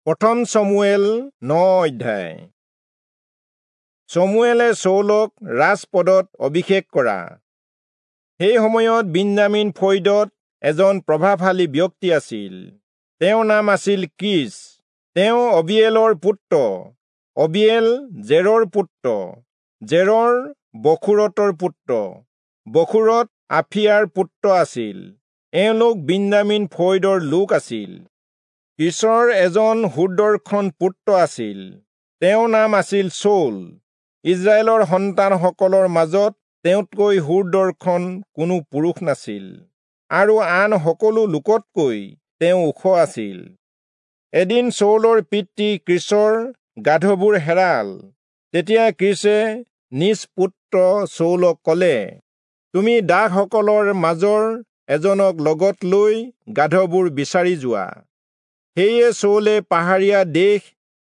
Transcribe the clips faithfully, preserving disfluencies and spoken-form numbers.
প্ৰথম চমূৱেল ন অধ্যায়। চমূৱেলে চৌলক ৰাজপদত অভিষেক কৰা। সেই সময়ত বিন্যামীন ফৈদত এজন প্ৰভাৱশালী ব্যক্তি আছিল। তেওঁৰ নাম আছিল কীচ। তেওঁ অবিয়েলৰ পুত্ৰ, অবিয়েল জেৰৰ পুত্ৰ, জেৰৰ বখোৰতৰ পুত্ৰ, বখোৰত আফিয়াৰ পুত্ৰ আছিল। এওঁলোক বিন্যামীন ফৈদৰ লোক আছিল। কীচৰ এজন সুদৰ্শন পুত্ৰ আছিল। তেওঁৰ নাম আছিল চৌল। ইস্ৰায়েলৰ সন্তানসকলৰ মাজত তেওঁতকৈ সুদৰ্শন কোনো পুৰুষ নাছিল, আৰু আন সকলো লোকতকৈ তেওঁ ওখ আছিল। এদিন চৌলৰ পিতৃ কীচৰ গাধবোৰ হেৰাল। তেতিয়া কীচে নিজ পুত্ৰ চৌলক কলে, তুমি দাসসকলৰ মাজৰ এজনক লগত লৈ গাধবোৰ বিচাৰি যোৱা। সেয়ে চৌলে পাহাৰীয়া দেশ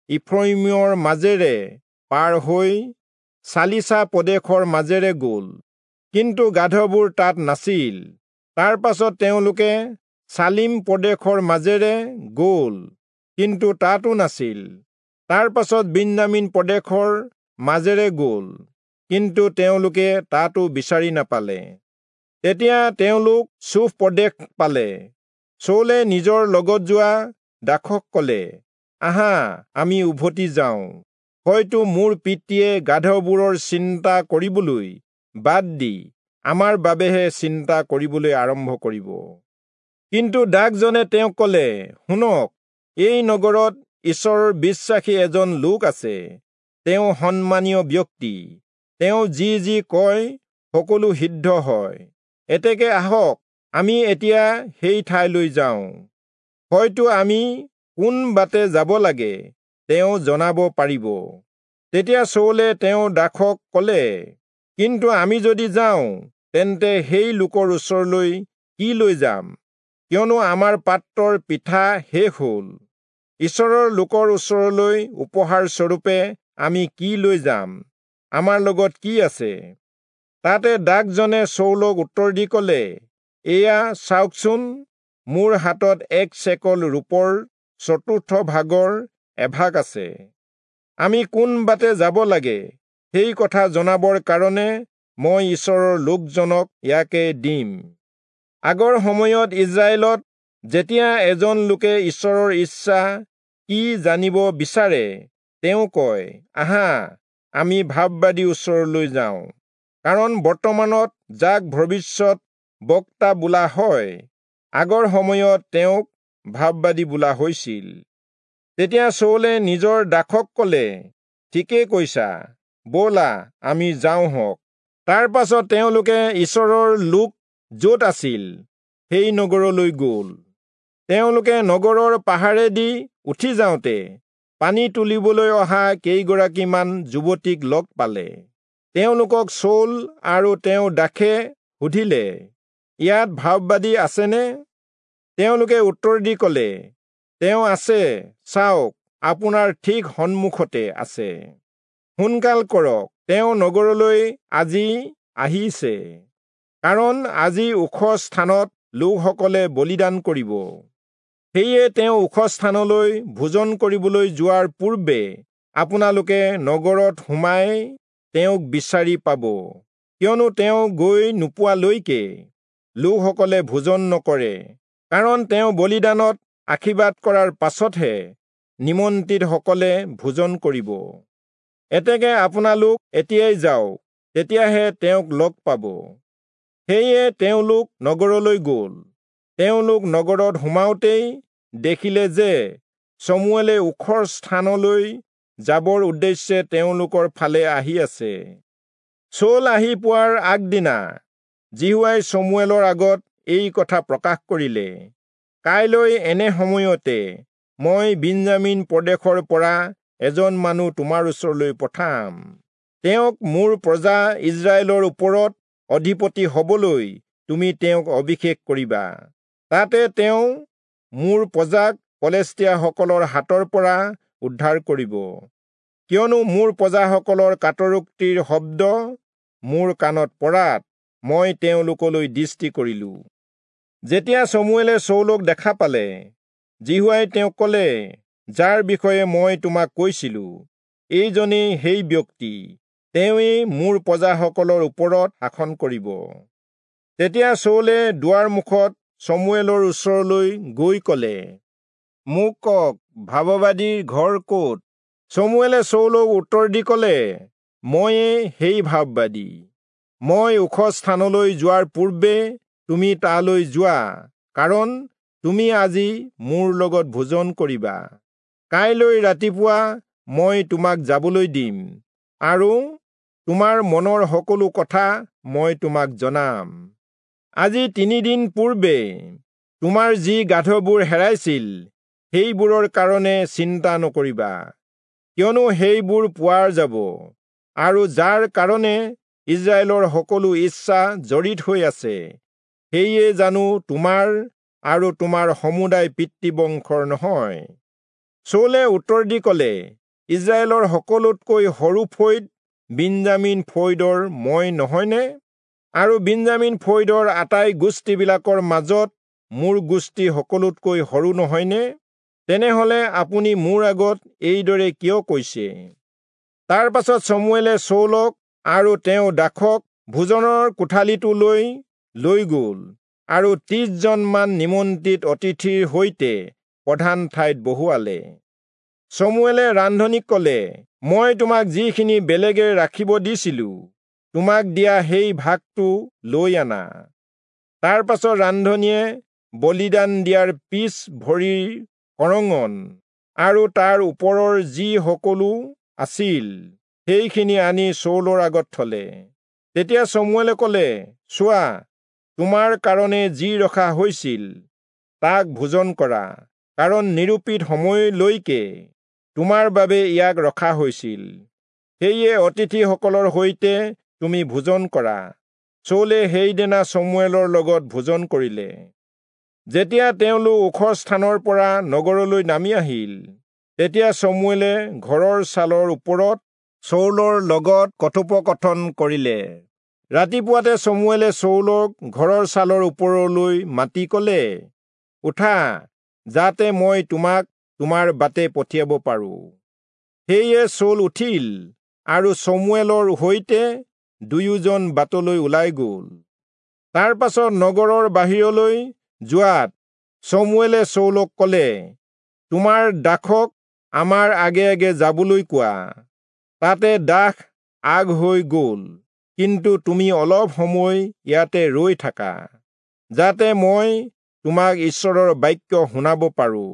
ইফ্ৰয়িমৰ মাজেৰে পাৰ হৈ চালিচা প্ৰদেশৰ মাজেৰে গল, কিন্তু গাধবোৰ তাত নাছিল। তাৰ পাছত তেওঁলোকে চালিম প্ৰদেশৰ মাজেৰে গল, কিন্তু তাতো নাছিল। তাৰ পাছত বিন্যামীন প্ৰদেশৰ মাজেৰে গল, কিন্তু তেওঁলোকে তাতো বিচাৰি নাপালে। তেতিয়া তেওঁলোক চূফ প্ৰদেশ পালে। চৌলে নিজৰ লগত যোৱা দাসক কলে, আহা, আমি উভতি যাওঁ। হয়তো মোৰ পিতৃয়ে গাধবোৰৰ চিন্তা কৰিবলৈ বাদ দি আমাৰ বাবেহে চিন্তা কৰিবলৈ আৰম্ভ কৰিব। কিন্তু দাসজনে তেওঁক কলে, শুনক, এই নগৰত ঈশ্বৰৰ বিশ্বাসী এজন লোক আছে। তেওঁ সন্মানীয় ব্যক্তি। তেওঁ যি যি কয় সকলো সিদ্ধ হয়। এতেকে আহক, আমি এতিয়া সেই ঠাইলৈ যাওঁ। হয়তো আমি কোন বাটে যাব লাগে তেওঁ জনাব পাৰিব। তেতিয়া চৌলে তেওঁ দাসক কলে, কিন্তু আমি যদি যাওঁ, তেন্তে সেই লোকৰ ওচৰলৈ কি লৈ যাম? কিয়নো আমাৰ পাত্ৰৰ পিঠা শেষ হল। ঈশ্বৰৰ লোকৰ ওচৰলৈ উপহাৰ স্বৰূপে আমি কি লৈ যাম? আমাৰ লগত কি আছে? তাতে দাসজনে চৌলক উত্তৰ দি কলে, এয়া চাওকচোন, মোৰ হাতত এক চেকল ৰূপৰ চতুৰ্থ ভাগৰ এভাগ আছে। আমি কোন বাটে যাব লাগে সেই কথা জনাবৰ কাৰণে মই ঈশ্বৰৰ লোকজনক ইয়াকে দিম। আগৰ সময়ত ইস্ৰায়েলত যেতিয়া এজন লোকে ঈশ্বৰৰ ইচ্ছা কি জানিব বিচাৰে, তেওঁ কয়, আহা, আমি ভাববাদী ওচৰলৈ যাওঁ। কাৰণ বৰ্তমানত যাক ভৱিষ্যত বক্তা বোলা হয়, আগৰ সময়ত তেওঁক ভাববাদী বোলা হৈছিল। তেতিয়া চৌলে নিজৰ দাসক কলে, ঠিকেই কৈছা, ব'লা, আমি যাওঁ হওক। তাৰ পাছত তেওঁলোকে ঈশ্বৰৰ লোক য'ত আছিল সেই নগৰলৈ গ'ল। তেওঁলোকে নগৰৰ পাহাৰেদি উঠি যাওঁতে পানী তুলিবলৈ অহা কেইগৰাকীমান যুৱতীক লগ পালে। তেওঁলোকক চৌল আৰু তেওঁৰ দাসে সুধিলে, ইয়াত ভাববাদী আছেনে? তেওঁলোকে উত্তৰ দি কলে, তেওঁ আছে, চাওক, আপোনাৰ ঠিক সন্মুখতে আছে। সোনকাল কৰক, তেওঁ নগৰলৈ আজি আহিছে, কাৰণ আজি ওখ স্থানত লোকসকলে বলিদান কৰিব। সেয়ে তেওঁ ওখ স্থানলৈ ভোজন কৰিবলৈ যোৱাৰ পূৰ্বে আপোনালোকে নগৰত সোমাই তেওঁক বিচাৰি পাব, কিয়নো তেওঁ গৈ নোপোৱালৈকে লোকসকলে ভোজন নকৰে, কাৰণ তেওঁ বলিদানত আশীৰ্বাদ কৰাৰ পাছতহে নিমন্ত্ৰিতসকলে ভোজন কৰিব। এতেকে আপোনালোক এতিয়াই যাওক, তেতিয়াহে তেওঁক লগ পাব। সেয়ে তেওঁলোক নগৰলৈ গ'ল। তেওঁলোক নগৰত সোমাওঁতেই দেখিলে যে চমূৱেলে ওখ স্থানলৈ যাবৰ উদ্দেশ্যে তেওঁলোকৰ ফালে আহি আছে। চৌল আহি পোৱাৰ আগদিনা যিহোৱাই চমূৱেলৰ আগত এই কথা প্ৰকাশ কৰিলে, কাইলৈ এনে সময়তে মই বিন্যামীন প্ৰদেশৰ পৰা এজন মানুহ তোমাৰ ওচৰলৈ পঠাম। তেওঁক মোৰ প্ৰজা ইস্ৰায়েলৰ ওপৰত অধিপতি হবলৈ তুমি তেওঁক অভিষেক কৰিবা। তাতে তেওঁ মোৰ প্ৰজাক পলেষ্টীয়াসকলৰ হাতৰ পৰা উদ্ধাৰ কৰিব, কিয়নো মোৰ প্ৰজাসকলৰ কাতৰোক্তিৰ শব্দ মোৰ কাণত পৰাত মই তেওঁলোকলৈ দৃষ্টি কৰিলো। যেতিয়া চমূৱেলে চৌলক দেখা পালে, যিহোৱাই তেওঁক কলে, যাৰ বিষয়ে মই তোমাক কৈছিলো, এইজনেই সেই ব্যক্তি, তেওঁৱেই মোৰ প্ৰজাসকলৰ ওপৰত শাসন কৰিব। তেতিয়া চৌলে দুৱাৰ মুখত চমুৱেলৰ ওচৰলৈ গৈ কলে, মোক কওক, ভাববাদীৰ ঘৰ ক'ত? চমুৱেলে চৌলক উত্তৰ দি কলে, ময়ে সেই ভাববাদী। মই ওখ স্থানলৈ যোৱাৰ পূৰ্বে তুমি তালৈ যোৱা, কাৰণ তুমি আজি মোৰ লগত ভোজন কৰিবা। কাইলৈ ৰাতিপুৱা মই তোমাক যাবলৈ দিম, আৰু তোমাৰ মনৰ সকলো কথা মই তোমাক জনাম। আজি তিনিদিন পূৰ্বে তোমাৰ যি গাধবোৰ হেৰাইছিল, সেইবোৰৰ কাৰণে চিন্তা নকৰিবা, কিয়নো সেইবোৰ পোৱা যাব, আৰু যাৰ কাৰণে ইস্ৰায়েলৰ সকলো ইচ্ছা জড়িত হৈ আছে, সেয়ে জানো তোমাৰ আৰু তোমাৰ সমুদায় পিতৃবংশৰ নহয়। চৌলে উত্তৰ দি কলে, ইস্ৰায়েলৰ সকলোতকৈ সৰু ফৈদ বিন্যামীন ফৈদৰ মই নহয়নে? আৰু বিন্যামীন ফৈদৰ আটাই গোষ্ঠীবিলাকৰ মাজত মোৰ গোষ্ঠী সকলোতকৈ সৰু নহয়নে? তেনেহলে আপুনি মোৰ আগত এইদৰে কিয় কৈছে? তাৰ পাছত চমুৱেলে চৌলক আৰু তেওঁ দাসক ভোজনৰ কোঠালিটোলৈ লৈ গ'ল, আৰু ত্ৰিশজনমান নিমন্ত্ৰিত অতিথিৰ সৈতে প্ৰধান ঠাইত বহুৱালে। চমুৱেলে ৰান্ধনীক কলে, মই তোমাক যিখিনি বেলেগে ৰাখিব দিছিলো, তোমাক দিয়া সেই ভাগটো লৈ আনা। তাৰ পাছত ৰান্ধনীয়ে বলিদান দিয়াৰ পিছ ভৰিৰ কৰঙন আৰু তাৰ ওপৰৰ যি সকলো আছিল, সেইখিনি আনি চৌলৰ আগত থলে। তেতিয়া চমুৱেলে কলে, চোৱা, তোমাৰ কাৰণে যি ৰখা হৈছিল তাক ভোজন কৰা, কাৰণ নিৰূপিত সময়লৈকে তোমাৰ বাবে ইয়াক ৰখা হৈছিল। সেয়ে অতিথিসকলৰ সৈতে তুমি ভোজন কৰা। চৌলে সেইদিনা চমুৱেলৰ লগত ভোজন কৰিলে। যেতিয়া তেওঁলোক ওখ স্থানৰ পৰা নগৰলৈ নামি আহিল, তেতিয়া চমুৱেলে ঘৰৰ ছালৰ ওপৰত চৌলৰ লগত কথোপকথন কৰিলে। ৰাতিপুৱাতে চমুৱেলে চৌলক ঘৰৰ ছালৰ ওপৰলৈ মাতি কলে, উঠা, যাতে মই তোমাক তোমাৰ বাটে পঠিয়াব পাৰো। সেয়ে চৌল উঠিল আৰু চমুৱেলৰ সৈতে দুয়োজন বাটলৈ ওলাই গ'ল। তাৰ পাছত নগৰৰ বাহিৰলৈ যোৱাত চমুৱেলে চৌলক কলে, তোমাৰ দাসক আমাৰ আগে আগে যাবলৈ কোৱা। তাতে দাস আগ হৈ গ'ল, কিন্তু তুমি অলপ সময় ইয়াতে ৰৈ থাকা, যাতে মই তোমাক ঈশ্বৰৰ বাক্য শুনাব পাৰো।